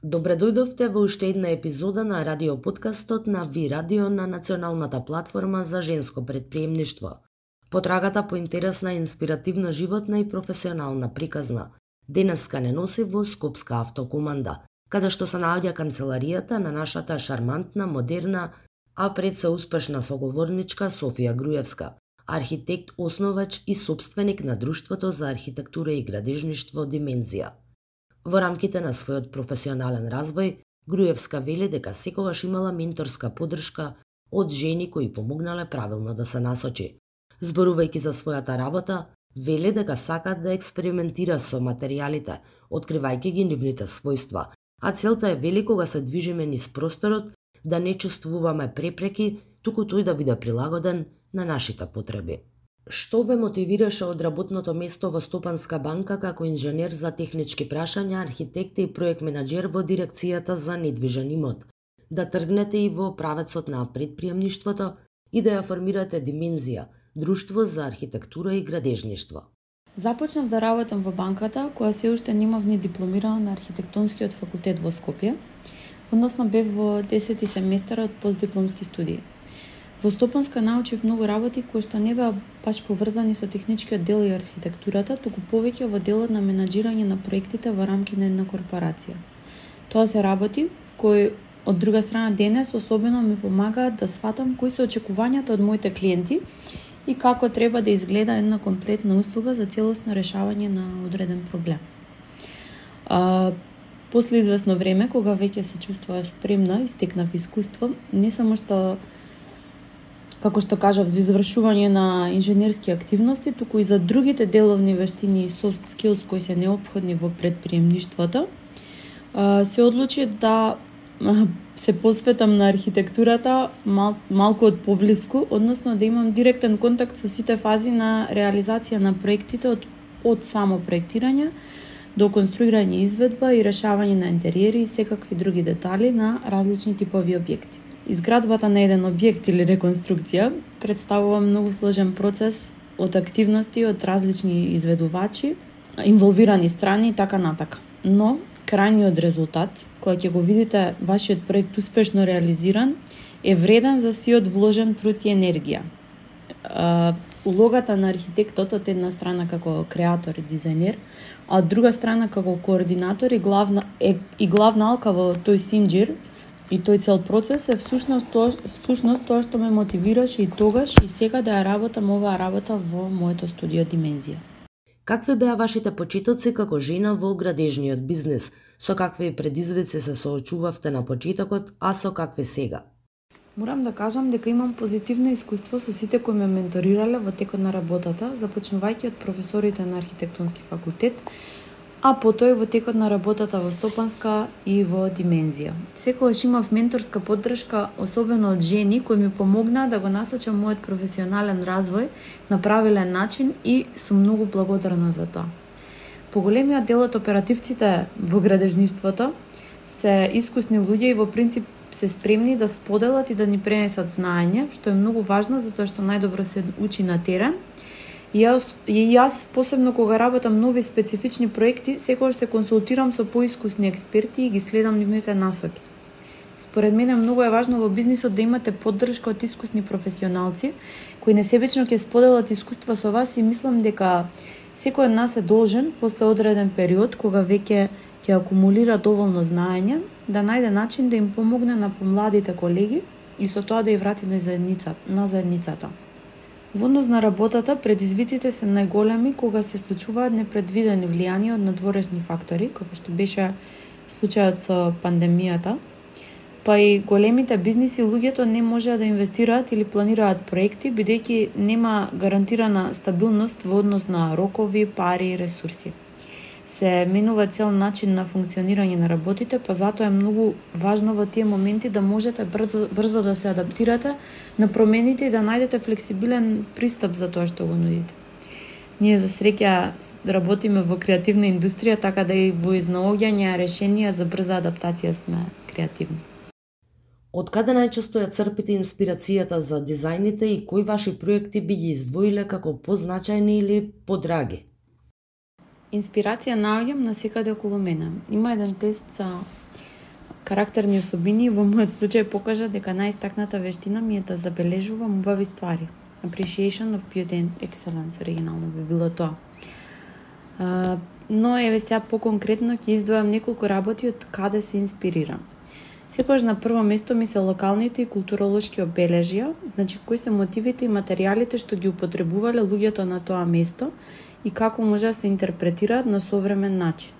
Добре дојдовте во уште една епизода на радиоподкастот на Ви Радио на Националната платформа за женско предприемништво. Потрагата по интересна, инспиративна, животна и професионална приказна. Денеска не носи во Скопска автокоманда, каде што се наоѓа канцеларијата на нашата шармантна, модерна, а пред се успешна соговорничка Софија Груевска, архитект, основач и собственик на Друштвото за архитектура и градежништво Димензија. Во рамките на својот професионален развој, Груевска вели дека секогаш имала менторска поддршка од жени кои помогнале правилно да се насочи. Зборувајќи за својата работа, вели дека сака да експериментира со материјалите, откривајќи ги нивните својства, а целта е, вели, кога се движиме низ просторот, да не чувствуваме препреки, туку тој да биде прилагоден на нашите потреби. Што ве мотивираше од работното место во Стопанска банка како инженер за технички прашања, архитект и проект менаџер во дирекцијата за недвижен имот, да тргнете и во правецот на предприемништвото и да ја формирате Димензија, Друштво за архитектура и градежништво? Започнав да работам во банката, која се уште немав ни дипломирана на архитектонскиот факултет во Скопје, односно бев во 10-ти семестар од постдипломски студии. Во Стопанска научив многу работи кои што не беа баш поврзани со техничкиот дел и архитектурата, туку повеќе во делот на менаџирање на проектите во рамки на една корпорација. Тоа се работи кои од друга страна денес особено ми помагаат да сватам кои се очекувањата од моите клиенти и како треба да изгледа една комплетна услуга за целосно решавање на одреден проблем. После известно време, кога веќе се чувствував спремна и стекнав искуство, не само што, како што кажав, за извршување на инженерски активности, туку и за другите деловни вештини и soft skills кои се неопходни во предприемништвото, се одлучи да се посветам на архитектурата малку од поблиску, односно да имам директен контакт со сите фази на реализација на проектите од само проектирање до конструирање, изведба и решавање на интериери и секакви други детали на различни типови објекти. Изградбата на еден објект или реконструкција представува многу сложен процес од активности од различни изведувачи, инволвирани страни и така натака. Но крајниот резултат, кој ќе го видите вашиот проект успешно реализиран, е вреден за сиот вложен труд и енергија. Улогата на архитектот од една страна како креатор и дизајнер, а од друга страна како координатор и главна алка во тој синџир и тој цел процес е всушност тоа што ме мотивираше и тогаш и сега да ја работам оваа работа во моето студио Димензија. Какви беа вашите почетоци како жена во градежниот бизнес? Со какви предизвици се соочувавте на почетокот, а со какви сега? Морам да кажам дека имам позитивно искуство со сите кои ме менторирале во текот на работата, започнувајќи од професорите на архитектонски факултет, а потоа во текот на работата во Стопанска и во Димензија. Секогаш имав менторска поддршка, особено од жени кои ми помогнаа да го насочам мојот професионален развој на правилен начин и сум многу благодарна за тоа. Поголемиот дел од оперативците во градежништвото се искусни луѓе и во принцип се спремни да споделат и да ни пренесат знаење, што е многу важно затоа што најдобро се учи на терен. И јас посебно кога работам нови специфични проекти, секогаш се консултирам со поискусни експерти и ги следам нивните насоки. Според мене многу е важно во бизнисот да имате поддршка од искусни професионалци кои несебично ќе споделат искуства со вас и мислам дека секој од нас е должен после одреден период кога веќе ќе акумулира доволно знаење да најде начин да им помогне на помладите колеги и со тоа да ја врати на заедницата. Во однос на работата, предизвиците се најголеми кога се случуваат непредвидени влијанија од надворешни фактори, како што беше случајот со пандемијата, па и големите бизниси луѓето не можеа да инвестираат или планираат проекти, бидејќи нема гарантирана стабилност во однос на рокови, пари и ресурси. Се менува цел начин на функционирање на работите, па затоа е многу важно во тие моменти да можете брзо да се адаптирате на промените и да најдете флексибилен пристап за тоа што го нудите. Ние за среќа работиме во креативна индустрија, така да и во изнаоѓање решенија за брза адаптација сме креативни. Од каде најчесто ја црпите инспирацијата за дизајните и кои ваши проекти би ги издвоиле како позначајни или подраги? Инспирација наоѓам насекаде околу мене. Има еден тест карактерни особини во мојот случај покажа дека најистакната вештина ми е да забележувам убави ствари. Appreciation of beauty and excellence, оригинално би било тоа. Но еве сега поконкретно ќе издвојам неколку работи од каде се инспирирам. Секогаш на прво место ми се локалните и културолошки обележја, значи кои се мотивите и материјалите што ги употребувале луѓето на тоа место и како може да се интерпретираат на современ начин.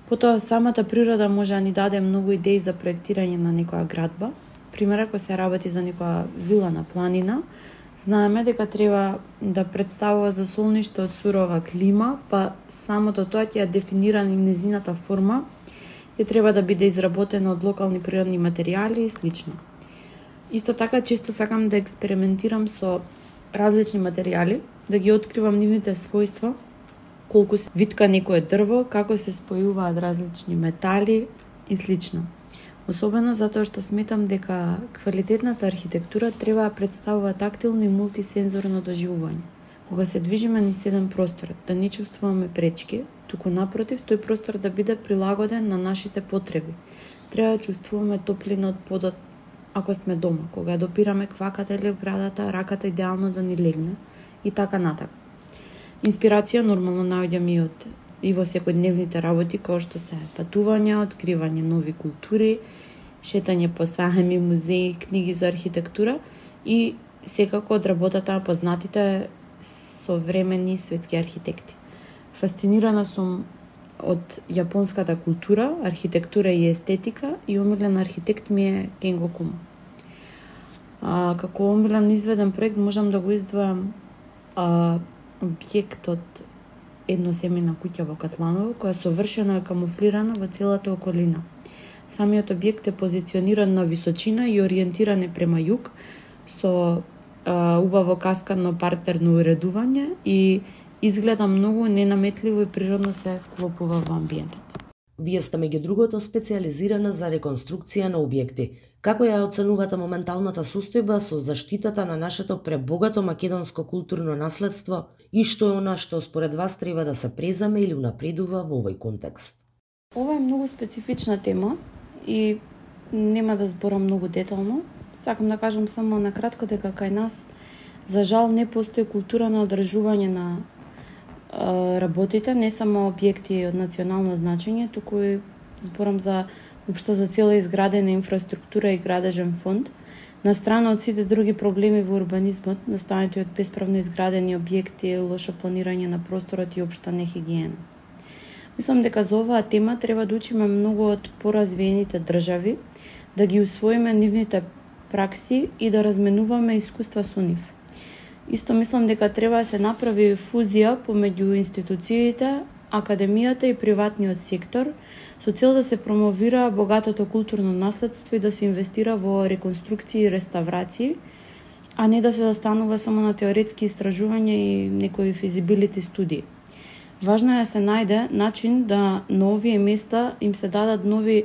Потоа самата природа може да ни даде многу идеи за проектирање на некоја градба. Пример, ако се работи за некоја вила на планина, знаеме дека треба да представува за солниште од сурова клима, па самото тоа ќе ја дефинира и незината форма, ќе треба да биде изработена од локални природни материјали и слично. Исто така, често сакам да експериментирам со различни материјали, да ги откривам нивните својства, колку се витка некое дрво, како се спојуваат различни метали и слично. Особено затоа што сметам дека квалитетната архитектура треба да представува тактилно и мултисензорно доживување. Кога се движиме низ еден простор, да не чувствуваме пречки, туку напротив, тој простор да биде прилагоден на нашите потреби. Треба да чувствуваме топлина од подот ако сме дома, кога допираме кваката или вградата, раката идеално да ни легне и така натака. Инспирација нормално наоѓам и во секојдневните работи, кои што се патувања, откривање нови култури, шетање по сајми, музеи, книги за архитектура и секако од работата на познатите современи светски архитекти. Фасцинирана сум од јапонската култура, архитектура и естетика и омилен архитект ми е Кенго Кума. Како омилен изведен проект можам да го издвојам објектот едносемејна куќа во Катланово, која совршено е камуфлирана во целата околина. Самиот објект е позициониран на височина и ориентиран е према југ, со убаво каскадно партерно уредување и изгледа многу ненаметливо и природно се вклопува во амбиентот. Вие сте меѓу другото специјализирана за реконструкција на објекти. Како ја оценувате моменталната состојба со заштитата на нашето пребогато македонско културно наследство и што е она што според вас треба да се преземе или унапредува во овој контекст? Ова е многу специфична тема и нема да зборам многу детално. Сакам да кажам само накратко дека кај нас за жал не постои култура на одржување на работите, не само објекти од национално значење, туку и зборам за општо за цела изградена инфраструктура и градежен фонд, на страна од сите други проблеми во урбанизмот, настанети од бесправно изградени објекти, лошо планирање на просторот и општа нехигиена. Мислам дека за оваа тема треба да учиме многу од поразвиените држави, да ги усвоиме нивните пракси и да разменуваме искуства со нив. Исто мислам дека треба да се направи фузија помеѓу институциите, академијата и приватниот сектор, со цел да се промовира богатото културно наследство и да се инвестира во реконструкции и реставрации, а не да се застанува само на теоретски истражувања и некои физибилити студии. Важно е да се најде начин да на овие места им се дадат нови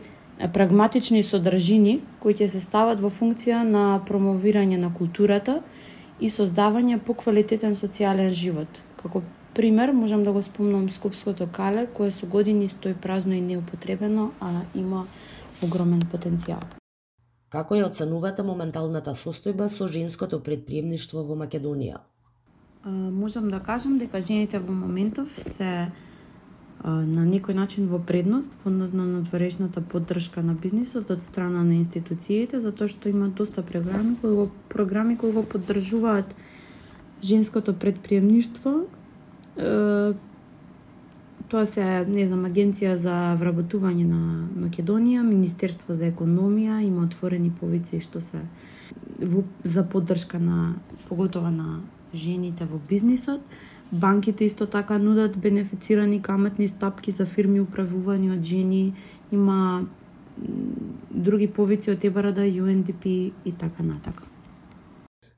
прагматични содржини кои ќе се стават во функција на промовирање на културата и создавање поквалитетен социјален живот. Како пример можам да го спомнам Скопското кале, кое со години стои празно и неупотребено, а има огромен потенцијал. Како ја оценувате моменталната состојба со женското претприемништво во Македонија? Можам да кажам дека жените во моментов се на некој начин во предност во однос на надворешната поддршка на бизнисот од страна на институциите, затоа што има доста програми кои го поддржуваат женското претприемништво. Тоа се, Агенција за вработување на Македонија, Министерство за економија, има отворени повици што се за поддршка на поготоа на жените во бизнисот. Банките исто така нудат бенефицирани каматни стапки за фирми управувани од жени, има други повици од ЕБРД, UNDP и така натака.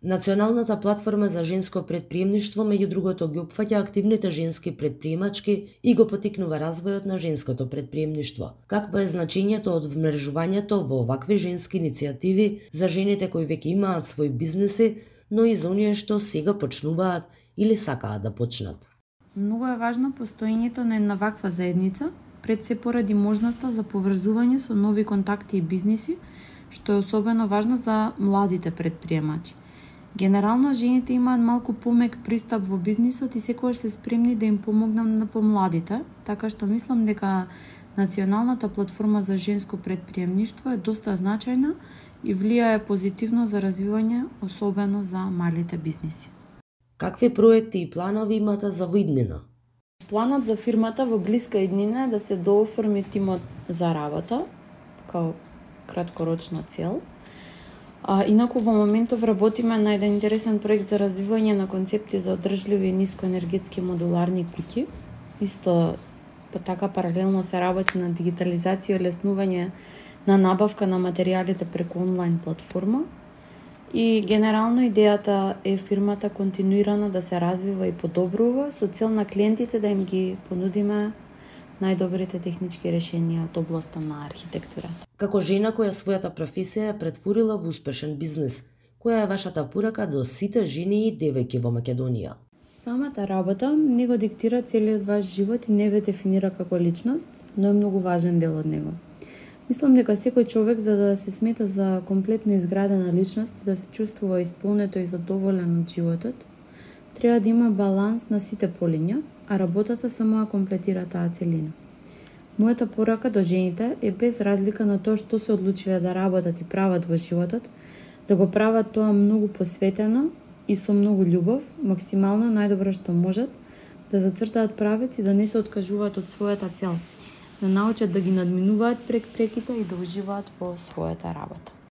Националната платформа за женско претприемништво меѓу другото ги опфаќа активните женски претприемачки и го потикнува развојот на женското претприемништво. Какво е значењето од вмрежувањето во овакви женски иницијативи за жените кои веќе имаат свои бизнеси, но и за оние што сега почнуваат или сакаат да почнат? Многу е важно постоењето на една ваква заедница, пред се поради можноста за поврзување со нови контакти и бизниси, што е особено важно за младите предприемачи. Генерално, жените имаат малку помек пристап во бизнисот и секогаш се спремни да им помогнат на помладите, така што мислам дека Националната платформа за женско предприемништво е доста значајна и влијае позитивно за развивање, особено за малите бизниси. Какви проекти и планови имате за иднина? Планот за фирмата во блиска иднина е да се дооформи тимот за работа, као краткорочна цел. Инаку во моментов работиме на еден интересен проект за развивање на концепти за одржливи и нискоенергетски модуларни куќи. Исто така паралелно се работи на дигитализација и олеснување на набавка на материјалите преку онлайн платформа. И генерално идејата е фирмата континуирано да се развива и подобрува со цел на клиентите да им ги понудиме најдобрите технички решенија од областа на архитектурата. Како жена која својата професија е претворила во успешен бизнис, која е вашата порака до сите жени и девојки во Македонија? Самата работа не го диктира целиот ваш живот и не ве дефинира како личност, но е многу важен дел од него. Мислам дека секој човек, за да се смета за комплетно изградена личност и да се чувствува исполнето и задоволен од животот, треба да има баланс на сите полиња, а работата само ја комплетира таа целина. Мојата порака до жените е без разлика на тоа што се одлучиле да работат и прават во животот, да го прават тоа многу посветено и со многу љубов, максимално најдобро што можат, да зацртаат правец и да не се откажуваат од својата цел, да научат да ги надминуваат преките и да уживаат во својата работа.